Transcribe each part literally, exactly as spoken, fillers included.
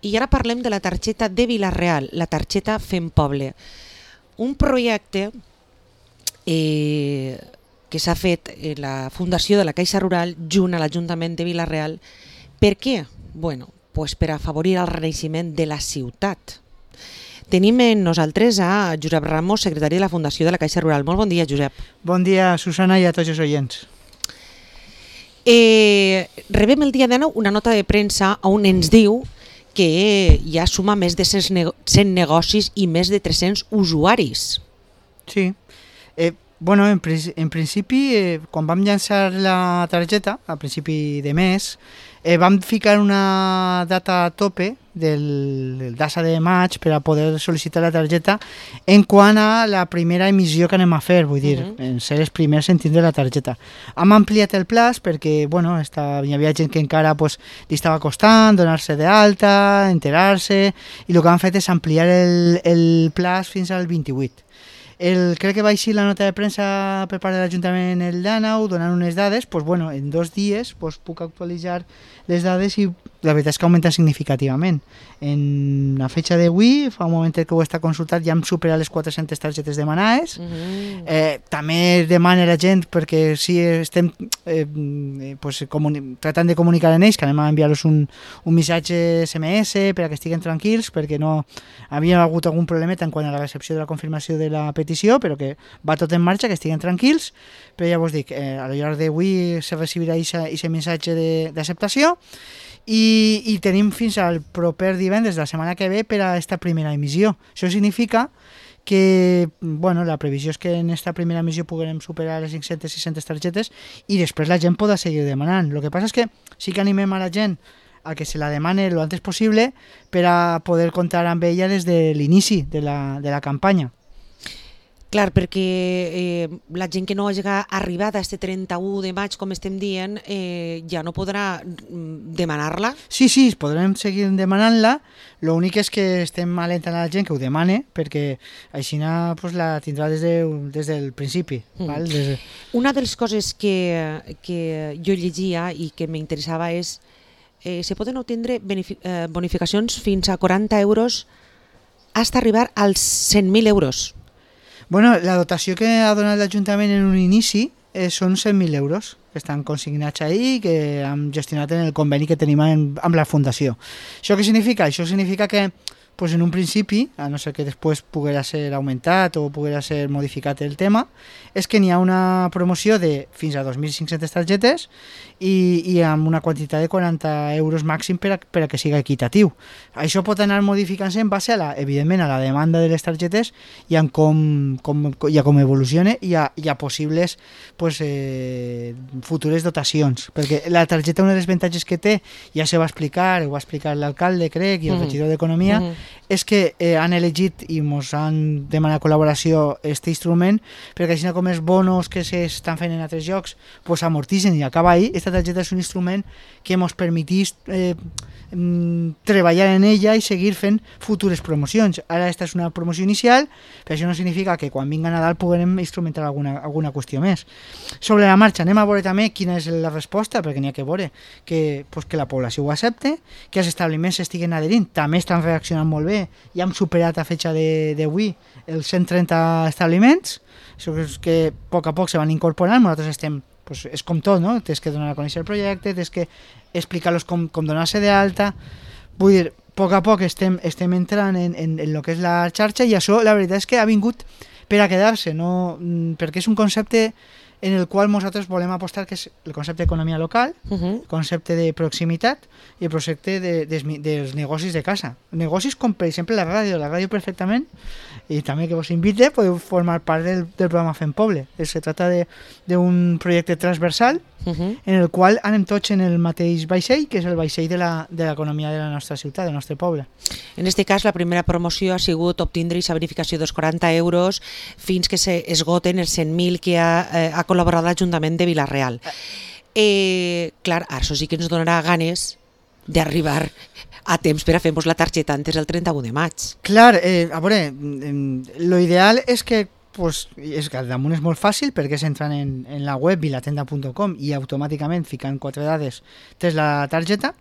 I ara parlem de la targeta de Vila-real, la targeta Fem Poble. Un projecte eh, que s'ha fet en la Fundació de la Caixa Rural junt a l'Ajuntament de Vila-real. Per què? Bueno, pues per afavorir el renaixement de la ciutat. Tenim en nosaltres a Josep Ramos, secretari de la Fundació de la Caixa Rural. Molt bon dia, Josep. Bon dia, Susana, i a tots els oients. Eh, rebem el dia de nou una nota de premsa on ens diu que ja suma més de cent negocis i més de tres-cents usuaris. Sí. Eh, bueno, en, en principi, eh, quan vam llançar la targeta, a principi de mes, eh, vam ficar una data a tope del data de maig per a poder sol·licitar la targeta en quant a la primera emissió que anem a fer, vull dir, uh-huh. en ser els primers en tindre la targeta. Hem ampliat el plaç perquè, bueno, esta, hi havia gent que encara pues, li estava costant donar-se d'alta, enterar-se, i el que han fet és ampliar el, el plaç fins al vint-i-vuit. El, crec que va així la nota de premsa per part de l'Ajuntament el Dànau, donant unes dades, pues, bueno, en dos dies pues, puc actualitzar les dades i la veritat és que augmenta significativament. En la fetxa d'avui, fa un moment que ho està consultat, ja hem superat les quatre-centes targetes demanades. Uh-huh. eh, també demana la gent, perquè si estem eh, pues, comuni- tratant de comunicar amb ells, que anem a enviar-los un, un missatge esse eme esse per a que estiguen tranquils, perquè no havia hagut algun problemeta en quant a la recepció de la confirmació de la petició, però que va tot en marxa, que estiguen tranquils. Però ja vos dic, eh, a lo llarg d'avui se recibirà aquest missatge de, d'acceptació. I, i tenim fins al proper divendres de la setmana que ve per a aquesta primera emissió. Això significa que bueno, la previsió és que en aquesta primera emissió puguem superar les cinc-centes sis-centes targetes i després la gent podrà seguir demanant. El que passa és que sí que animem a la gent a que se la demane lo antes possible per a poder comptar amb ella des de l'inici de la, de la campanya. Clar, perquè eh, la gent que no hagi arribat a este trenta-u de maig, com estem dient, eh, ja no podrà demanar-la? Sí, sí, podrem seguir demanant-la. L'únic és que estem alentant a la gent que ho demane, perquè així pues, la tindrà des, de, des del principi. Mm. Val? Des de... Una de les coses que, que jo llegia i que m'interessava és eh, se poden obtindre benefic- eh, bonificacions fins a quaranta euros fins a arribar als cent mil euros. Bueno, la dotació que ha donat l'Ajuntament en un inici eh, són cent mil euros que estan consignats ahí i que hem gestionat en el conveni que tenim en, amb la Fundació. Això què significa? Això significa que pues en un principi, a no ser que després poguera ser augmentat o poguera ser modificat el tema, és que n'hi ha una promoció de fins a dos mil cinc-centes targetes i, i amb una quantitat de quaranta euros màxim per a, per a que siga equitatiu. Això pot anar modificant-se en base, a la, evidentment, a la demanda de les targetes i en com, com, i a com evolucione i a, i a possibles pues, eh, futures dotacions. Perquè la targeta, un dels avantatges que té, ja se va explicar, ho va explicar l'alcalde, crec, i el mm. regidor d'Economia, mm. és que eh, han elegit i ens han demanat col·laboració aquest instrument perquè així com els bonos que s'estan fent en altres llocs pues, amortitzen i acaba ahí. Aquesta targeta és un instrument que ens permetís eh, treballar en ella i seguir fent futures promocions. Ara aquesta és una promoció inicial, però això no significa que quan vinga Nadal puguem instrumentar alguna, alguna qüestió més. Sobre la marxa anem a veure també quina és la resposta, perquè n'hi ha que veure que, pues, que la població ho accepte, que els establiments estiguen adherint, també estan reaccionant molt bé. Ja hem superat a fetxa d'avui els cent trenta establiments, això és que a poc a poc se van incorporant, nosaltres estem, pues, és com tot, no? Tens que donar a conèixer el projecte, tens que explicar-los com, com donar-se d'alta, vull dir, a poc a poc estem, estem entrant en, en, en el que és la xarxa i això la veritat és que ha vingut per a quedar-se, no? Perquè és un concepte en el qual nosaltres volem apostar, que és el concepte d'economia local, uh-huh. el concepte de proximitat i el concepte de, de, de, dels negocis de casa. Negocis com, per exemple, la ràdio. La ràdio perfectament, i també que vos invite, podeu formar part del, del programa Fem Poble. Se trata d'un projecte transversal uh-huh. en el qual anem tots en el mateix vaixell, que és el vaixell de l'economia de, de la nostra ciutat, del nostre poble. En aquest cas, la primera promoció ha sigut obtindre aquesta bonificació dels quaranta euros fins que s'esgoten els cent mil que ha, eh, ha col·laborat l'Ajuntament de Vila-real. Eh, clar, això sí que ens donarà ganes d'arribar a temps per a fer-nos la targeta antes del trenta-u de maig. Clar, eh, a veure, lo ideal és que pues, és que al damunt és molt fàcil perquè s'entren en, en la web vilatenda punt com i automàticament ficant quatre dades tens la targeta.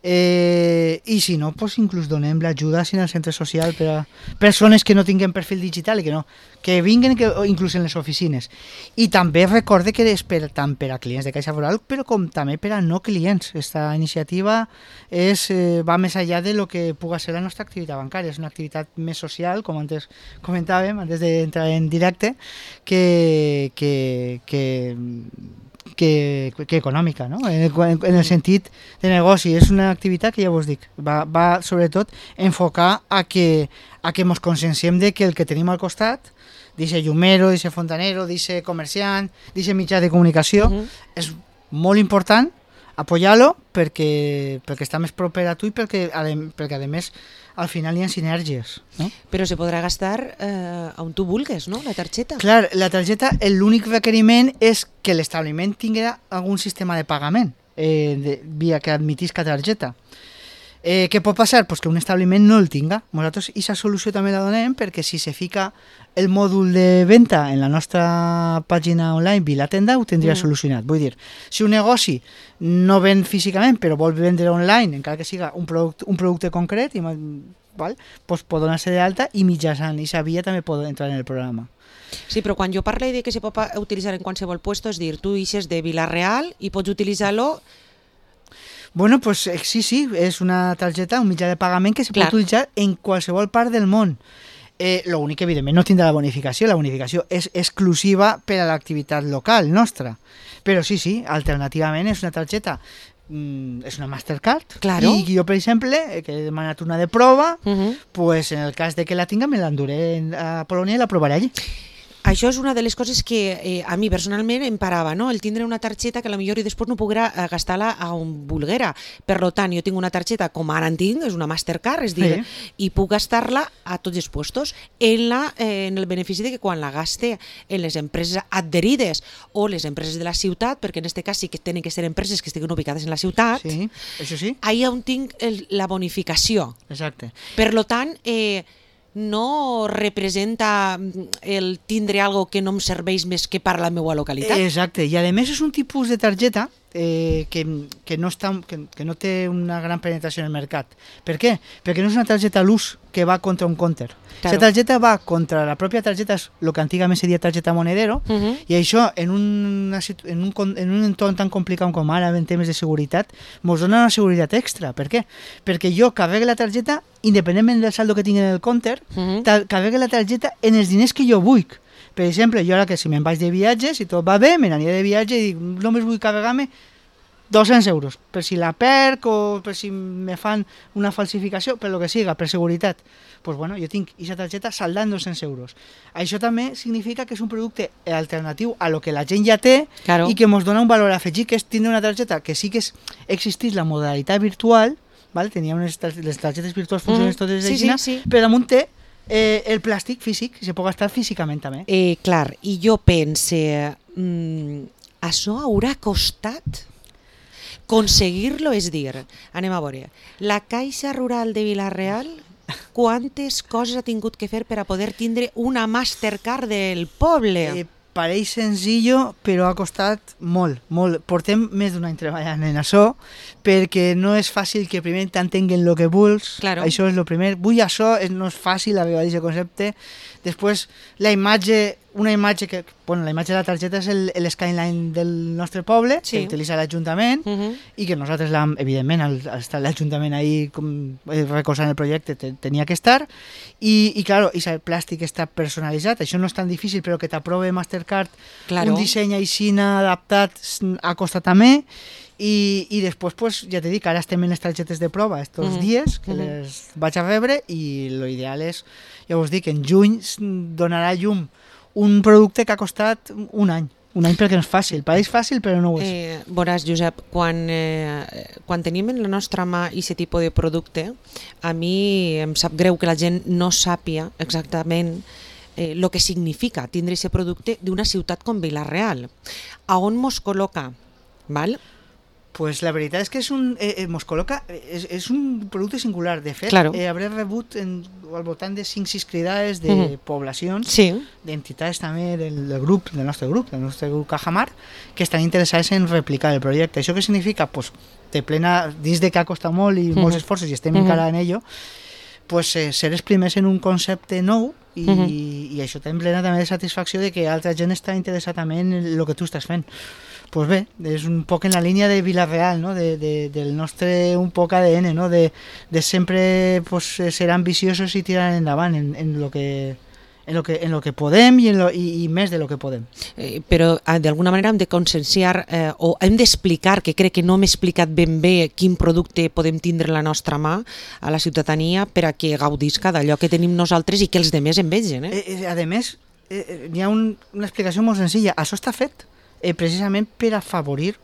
Eh, I si no, pues inclús donem l'ajuda en el centre social per a persones que no tinguin perfil digital i que no, que vinguen que, inclús en les oficines. I també recorde que és per, tant per a clients de Caixa Foral, però com també per a no clients. Esta iniciativa és, eh, va més enllà de lo que puga ser la nostra activitat bancària. És una activitat més social, com antes comentàvem, antes d'entrar en directe, que, que, que Que, que econòmica, no? En, en el sentit de negoci. És una activitat que ja vos dic, va, va sobretot enfocar a que, a que mos conscienciem de que el que tenim al costat, dice llumero, dice fontanero, dice comerciant, dice mitjà de comunicació, uh-huh. és molt important apoyar-lo perquè, perquè està més proper a tu i perquè, perquè a més al final hi ha sinergies, no? Però se podrà gastar eh, on tu vulguis, no? La targeta. Clar, la targeta, l'únic requeriment és que l'establiment tingui algun sistema de pagament eh, de, via que admetisca targeta. Eh, què pot passar? Pues que un establiment no el tinga. Nosaltres aquesta solució també la donem perquè si se fica el mòdul de venda en la nostra pàgina online Vilatenda ho tindria mm. solucionat. Vull dir, si un negoci no ven físicament però vol vendre online, encara que siga un producte, un producte concret, i, val? Pues pot donar-se d'alta i mitjançant aquesta via també pot entrar en el programa. Sí, però quan jo parlo de que se pot utilitzar en qualsevol puesto, és dir, tu ixes de Vila-real i pots utilitzar-lo. Bueno, pues sí, sí, és una targeta, un mitjà de pagament que se Clar. pot utilitzar en qualsevol part del món. Eh, lo únic que, evidentment, no tindrà la bonificació. La bonificació és exclusiva per a l'activitat local nostra. Però sí, sí, alternativament és una targeta, mm, és una Mastercard. Claro. I jo, per exemple, que he demanat una de prova, uh-huh. pues en el cas de que la tinga me l'enduré a Polònia i la provaré allí. Això és una de les coses que eh, a mi personalment em parava, no? El tindre una targeta que potser i després no podrà gastar-la a on vulguera. Per tant, jo tinc una targeta com ara en tinc, és una Mastercard, és dir, sí. i puc gastar-la a tots els puestos en, la, eh, en el benefici de que quan la gaste en les empreses adherides o les empreses de la ciutat, perquè en aquest cas sí que tenen que ser empreses que estiguin ubicades en la ciutat, sí, això sí. Ahí on tinc el, la bonificació. Exacte. Per tant, eh, no representa el tindre algo que no em serveix més que per a la meva localitat. Exacte, i a més és un tipus de targeta eh, que, que, no està, que, que no té una gran penetració en el mercat. Per què? Perquè no és una targeta a l'ús que va contra un counter. Claro. La targeta va contra la pròpia targeta, és el que antigament seria targeta monedero, uh-huh. i això en un, en, un, en un entorn tan complicat com ara en temes de seguretat, ens dona una seguretat extra. Per què? Perquè jo carregue la targeta, independentment del saldo que tingui en el counter, uh-huh. carregue la targeta en els diners que jo vull. Per exemple, jo ara que si me'n vaig de viatge, si tot va bé, me n'aniré de viatge i dic, només vull carregar-me dos-cents euros, per si la perc o per si me fan una falsificació, per lo que siga, per seguretat. Pues bueno, jo tinc aquesta targeta saldant dos-cents euros. Això també significa que és un producte alternatiu a lo que la gent ja té, claro. i que ens dona un valor afegit, que és tindre una targeta que sí que és, existís la modalitat virtual, ¿vale? Tenia unes les targetes virtuals funcionen mm, totes de sí, sí, sí. però damunt té eh, el plàstic físic, se pot gastar físicament també. Eh, clar, i jo pense, mm, això haurà costat aconseguir-lo, és dir, anem a veure, la Caixa Rural de Vila-real, quantes coses ha tingut que fer per a poder tindre una Mastercard del poble? Eh, pareix senzillo, però ha costat molt, molt. Portem més d'un any treballant en això, perquè no és fàcil que primer t'entenguen el que vols, claro. Això és el primer. Vull això, no és fàcil arribar a aquest concepte. Després, la imatge, una imatge que, bueno, la imatge de la targeta és el, el skyline del nostre poble, sí. que utilitza l'Ajuntament, uh-huh. i que nosaltres, evidentment, al, al estar l'Ajuntament ahí com, eh, recolzant el projecte, te, tenia que estar, i, i claro, i el plàstic està personalitzat, això no és tan difícil, però que t'aprove Mastercard claro. un disseny aixina adaptat ha costat també, i, i després, pues, ja t'he dit, ara estem en les targetes de prova estos uh-huh. dies, que uh-huh. les vaig a rebre, i l'ideal és, ja us dic, en juny donarà llum un producte que ha costat un any. Un any perquè no és fàcil. Pareix fàcil, però no ho és. Eh, veuràs, Josep, quan, eh, quan tenim en la nostra mà aquest tipus de producte, a mi em sap greu que la gent no sàpia exactament el eh, que significa tindre aquest producte d'una ciutat com Vila-real. A on mos col·loca? Val? Pues la veritat és que és un, eh, mos col·loca, és, és un producte singular. De fet, claro. eh, hauré rebut en al voltant de cinc sis cridades de Mhm. poblacions, Sí. d'entitats també del, del grup, del nostre grup, del nostre grup Cajamar, que estan interessats en replicar el projecte. Això què significa? Pues, de plena, dins de que ha costat molt i Mhm. molts esforços i estem Mhm. encara en ello, pues, eh, ser els primers en un concepte nou i, Mhm. i això t'em plena també de satisfacció de que altra gent està interessada també en el que tu estàs fent. Pues bé, és un poc en la línia de Vila-real, no? de, de, del nostre un poc A D N, no? de, de sempre pues, ser ambiciosos i tirar endavant en, en lo que en lo que, en lo que podem i, en lo, i, i més de lo que podem. Eh, però eh, d'alguna manera hem de conscienciar eh, o hem d'explicar, que crec que no m'he explicat ben bé quin producte podem tindre a la nostra mà a la ciutadania per a que gaudisca d'allò que tenim nosaltres i que els demés en vegin. Eh? Eh, eh, a més, eh, hi ha un, una explicació molt senzilla. Això està fet eh, precisament per afavorir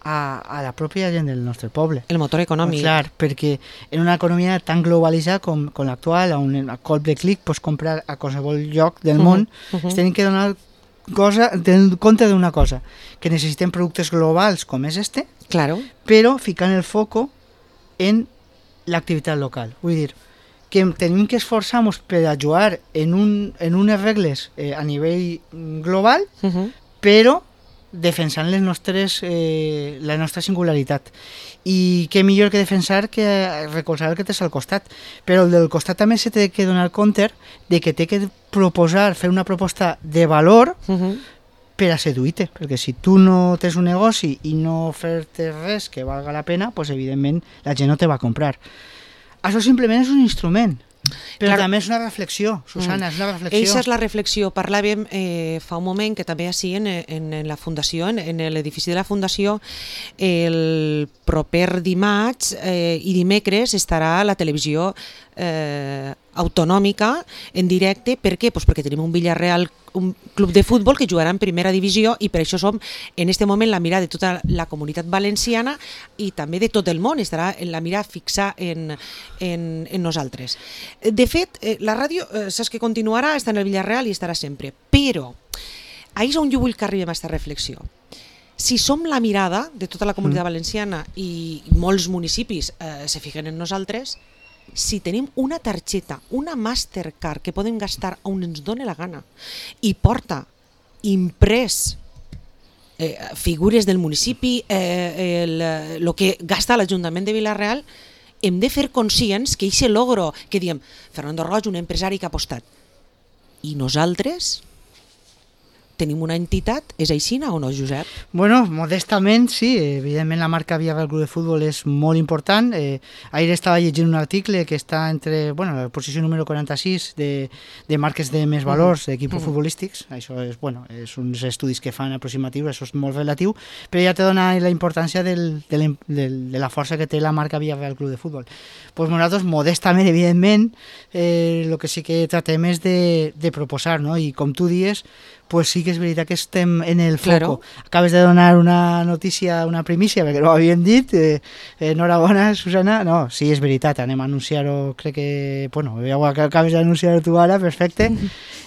a, a la pròpia gent del nostre poble. El motor econòmic. Pues clar, perquè en una economia tan globalitzada com, com l'actual, on a cop de clic pots comprar a qualsevol lloc del Uh-huh, món, uh-huh. es tenen que donar cosa, tenir compte d'una cosa, que necessitem productes globals com és este, Claro. però ficant el foco en l'activitat local. Vull dir, que tenim que esforçar-nos per ajudar en, un, en unes regles eh, a nivell global, Uh-huh. però defensant les nostres, eh, la nostra singularitat. I què millor que defensar que recolzar el que tens al costat. Però el del costat també se té que donar compte de que té que proposar, fer una proposta de valor Uh-huh. per a seduir-te, perquè si tu no tens un negoci i no fer-te res que valga la pena, pues evidentment la gent no te va a comprar. Això simplement és un instrument, però Clar. també és una reflexió, Susana, és una reflexió. Eixa és la reflexió. Parlàvem eh, fa un moment que també així en, en, en la fundació, en, en l'edifici de la fundació, el proper dimarts eh, i dimecres estarà la televisió eh, autonòmica en directe. Per què? Pues perquè tenim un Villarreal, un club de futbol que jugarà en primera divisió i per això som en este moment la mirada de tota la comunitat valenciana i també de tot el món, estarà en la mirada fixa en, en, en nosaltres. De fet, eh, la ràdio, eh, saps que continuarà, està en el Villarreal i estarà sempre, però ahir és on jo vull que arribem a aquesta reflexió. Si som la mirada de tota la comunitat valenciana i molts municipis eh, se fiquen en nosaltres, si tenim una targeta, una Mastercard que podem gastar on ens doni la gana i porta imprès eh, figures del municipi, eh, el, el que gasta l'Ajuntament de Vila-real, hem de fer conscients que aquest logro, que diem, Fernando Roig, un empresari que ha apostat, i nosaltres tenim una entitat, és aixina o no, Josep? Bueno, modestament, sí, evidentment la marca Villarreal Club de Futbol és molt important. Eh, ahir estava llegint un article que està entre, bueno, la posició número quaranta-sis de, de marques de més valors d'equips Mhm. futbolístics. Això és, bueno, és uns estudis que fan aproximatius, això és molt relatiu, però ja te dona la importància del, de, la, del, de la força que té la marca Villarreal Club de Futbol. Pues nosaltres, modestament, evidentment, eh, el que sí que tratem és de, de proposar, no? I com tu dies, pues sí que és veritat que estem en el foco. Claro. Acabes de donar una notícia, una primícia, perquè no ho havíem dit. Eh, enhorabona, Susana. No, sí, és veritat, anem a anunciar-ho, crec que... Bueno, ja ho acabes d'anunciar tu ara, perfecte.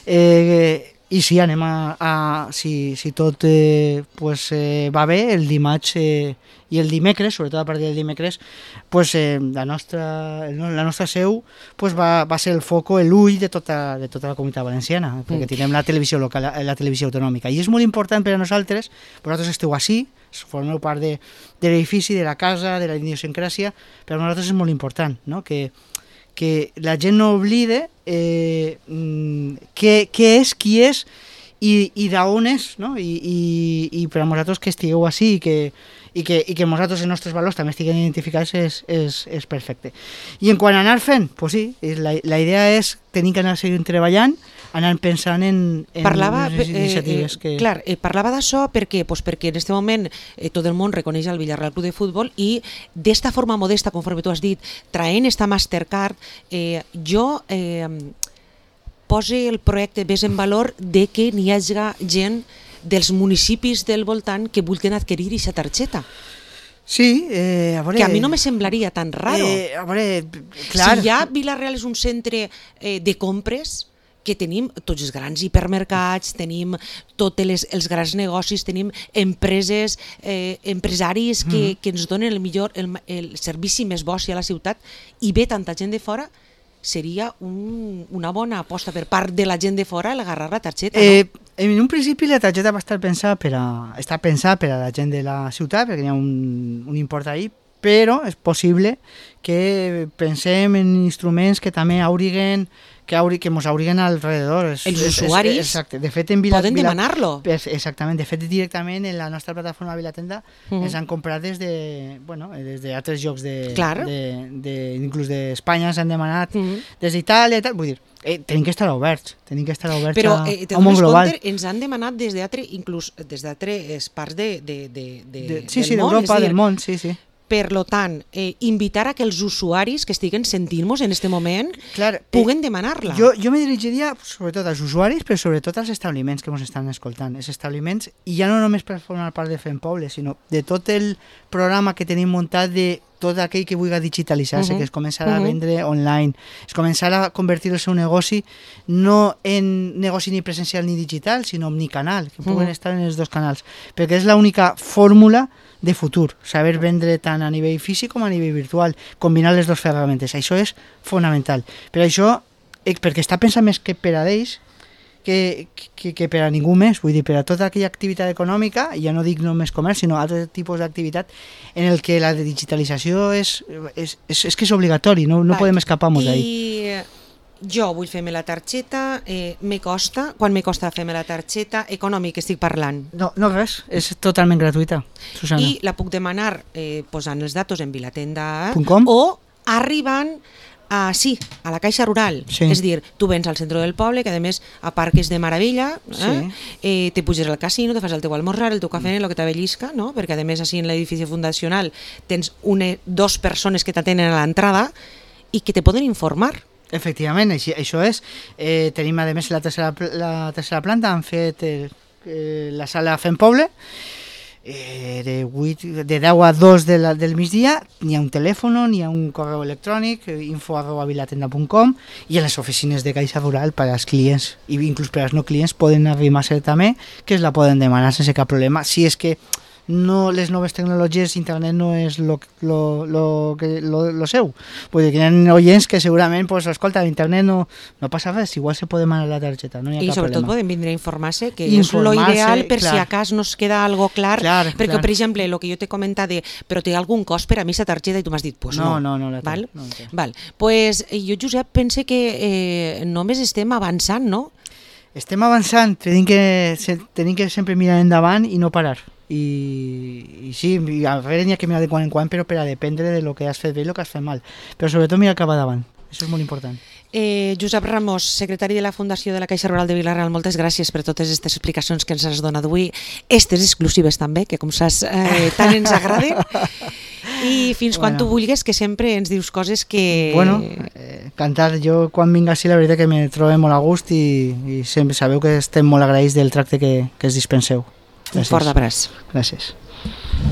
Eh, I sí, anem a... a si, si tot eh, pues, eh, va bé, el dimarts eh, i el dimecres, sobretot a partir del dimecres, pues, eh, la, nostra, la nostra seu pues, va, va ser el foco, l'ull de tota, de tota la comunitat valenciana, perquè Mm. tenim la televisió local, la, la televisió autonòmica. I és molt important per a nosaltres, vosaltres esteu així, formeu part de, de l'edifici, de la casa, de la idiosincràsia, però a nosaltres és molt important, no? que, que la gent no oblide eh, què, què és, qui és i, i d'on és, no? I, i, i per a vosaltres que estigueu així i que, i que, i que nosaltres els nostres valors també estiguen identificats és, és, és perfecte. I en quant a anar fent, pues sí, la, la idea és tenir que anar seguint treballant, anar pensant en, en parlava, les eh, iniciatives eh, que... Clar, eh, parlava d'això perquè, pues perquè en aquest moment eh, tot el món reconeix el Villarreal Club de Futbol i d'esta forma modesta, conforme tu has dit, traient esta Mastercard, eh, jo eh, pose el projecte més en valor de que n'hi hagi gent dels municipis del voltant que vulguin adquirir aquesta targeta. Sí, eh, a veure... Que a mi no me semblaria tan raro. Eh, a veure, clar... Si ja Vila-real és un centre eh, de compres, que tenim tots els grans hipermercats, tenim tots les, els grans negocis, tenim empreses, eh, empresaris que, mm. que ens donen el millor, el, el servici més bo a la ciutat, i ve tanta gent de fora, seria un, una bona aposta per part de la gent de fora el agarrar la targeta, Eh, no? en un principi la targeta va estar pensada per a, està pensada per a la gent de la ciutat, perquè hi ha un, un import ahí, però és possible que pensem en instruments que també haurien que, hauri, que mos haurien alrededor. És, Els és, usuaris és, exacte. De fet, en Vila, poden Vila, demanar-lo. Exactament. De fet, directament en la nostra plataforma Vilatenda Uh -huh. ens han comprat des de, bueno, des d'altres llocs de, Clar. de, de, inclús d'Espanya s'han demanat, Uh -huh. des d'Itàlia i tal. Vull dir, eh, tenim que estar oberts, tenim que estar oberts Però a, eh, te a un món dones global. compte, ens han demanat des d'altres, inclús des d'altres parts de, de, de, de, De, sí, del sí, món. d'Europa, És a dir, del món, sí, sí. per lo tant, eh, invitar a que els usuaris que estiguen sentint-nos en aquest moment Clar, puguen eh, demanar-la. Jo, jo me dirigiria sobretot als usuaris, però sobretot als establiments que ens estan escoltant. Els establiments, i ja no només per formar part de Fem Poble, sinó de tot el programa que tenim muntat de tot aquell que vulgui digitalitzar-se, uh -huh. que es començarà uh -huh. a vendre online, es començarà a convertir el seu negoci no en negoci ni presencial ni digital, sinó omnicanal, que puguen uh -huh. estar en els dos canals, perquè és l'única fórmula de futur, saber vendre tant a nivell físic com a nivell virtual, combinar les dues ferramentes, això és fonamental. Per això, eh, perquè està pensat més que per a ells, que, que, que per a ningú més, vull dir, per a tota aquella activitat econòmica, ja no dic només comerç, sinó altres tipus d'activitat en el que la digitalització és, és, és, és que és obligatori, no, no Val. podem escapar-nos d'ahí. I jo vull fer-me la targeta, eh, me costa, quan me costa fer-me la targeta, econòmic estic parlant. No, no res, és totalment gratuïta, Susana. I la puc demanar eh, posant els datos en Vilatenda Punt com? o arribant a, sí, a la Caixa Rural. Sí. És dir, tu vens al centre del poble, que a més aparques de meravella, eh? Sí. Eh, te puges al casino, te fas el teu almorzar, el teu cafè, el que t'avellisca, no? Perquè a més així en l'edifici fundacional tens una, dos persones que t'atenen a l'entrada i que te poden informar. Efectivament, així, això és. Eh, tenim, a més, la tercera, la tercera planta, han fet eh, eh, la sala Fem Poble, eh, de, vuit, de deu a dos de la, del migdia, n'hi ha un telèfon, n'hi ha un correu electrònic, eh, info arroba vilatenda punt com, i a les oficines de Caixa Rural per als clients, i inclús per als no clients, poden arribar-se també, que es la poden demanar sense cap problema. Si és que no, les noves tecnologies, internet no és lo, lo, lo, que, lo, lo seu. Vull dir que hi ha oients que segurament, pues, escolta, internet no, no passa res, igual se pot demanar la targeta, no hi ha I cap sobretot problema. poden vindre a informar-se, que Informar-se, és lo ideal per clar. si a cas no es queda algo clar, Clar, perquè clar. per exemple, el que jo t'he comentat de però té algun cost per a mi aquesta targeta i tu m'has dit, pues no. No, no, no la té, Val? no la té. Val. Pues jo, Josep, pense que eh, només estem avançant, no? Estem avançant, tenim que, se- tenim que sempre mirar endavant i no parar. I, i sí, i a veure n'hi ha que mirar de quan en quan, però per a dependre de lo que has fet bé i lo que has fet mal. Però sobretot mirar cap davant, això és molt important. Eh, Josep Ramos, secretari de la Fundació de la Caixa Rural de Vila-real, moltes gràcies per totes aquestes explicacions que ens has donat avui, estes exclusives també, que com saps eh, tant ens agraden, i fins quan Bueno. tu vulguis, que sempre ens dius coses que... Bueno, eh, cantar, jo quan vinc així la veritat que me trobo molt a gust i, i sempre sabeu que estem molt agraïts del tracte que, que es dispenseu. Un fort abraç. Gràcies.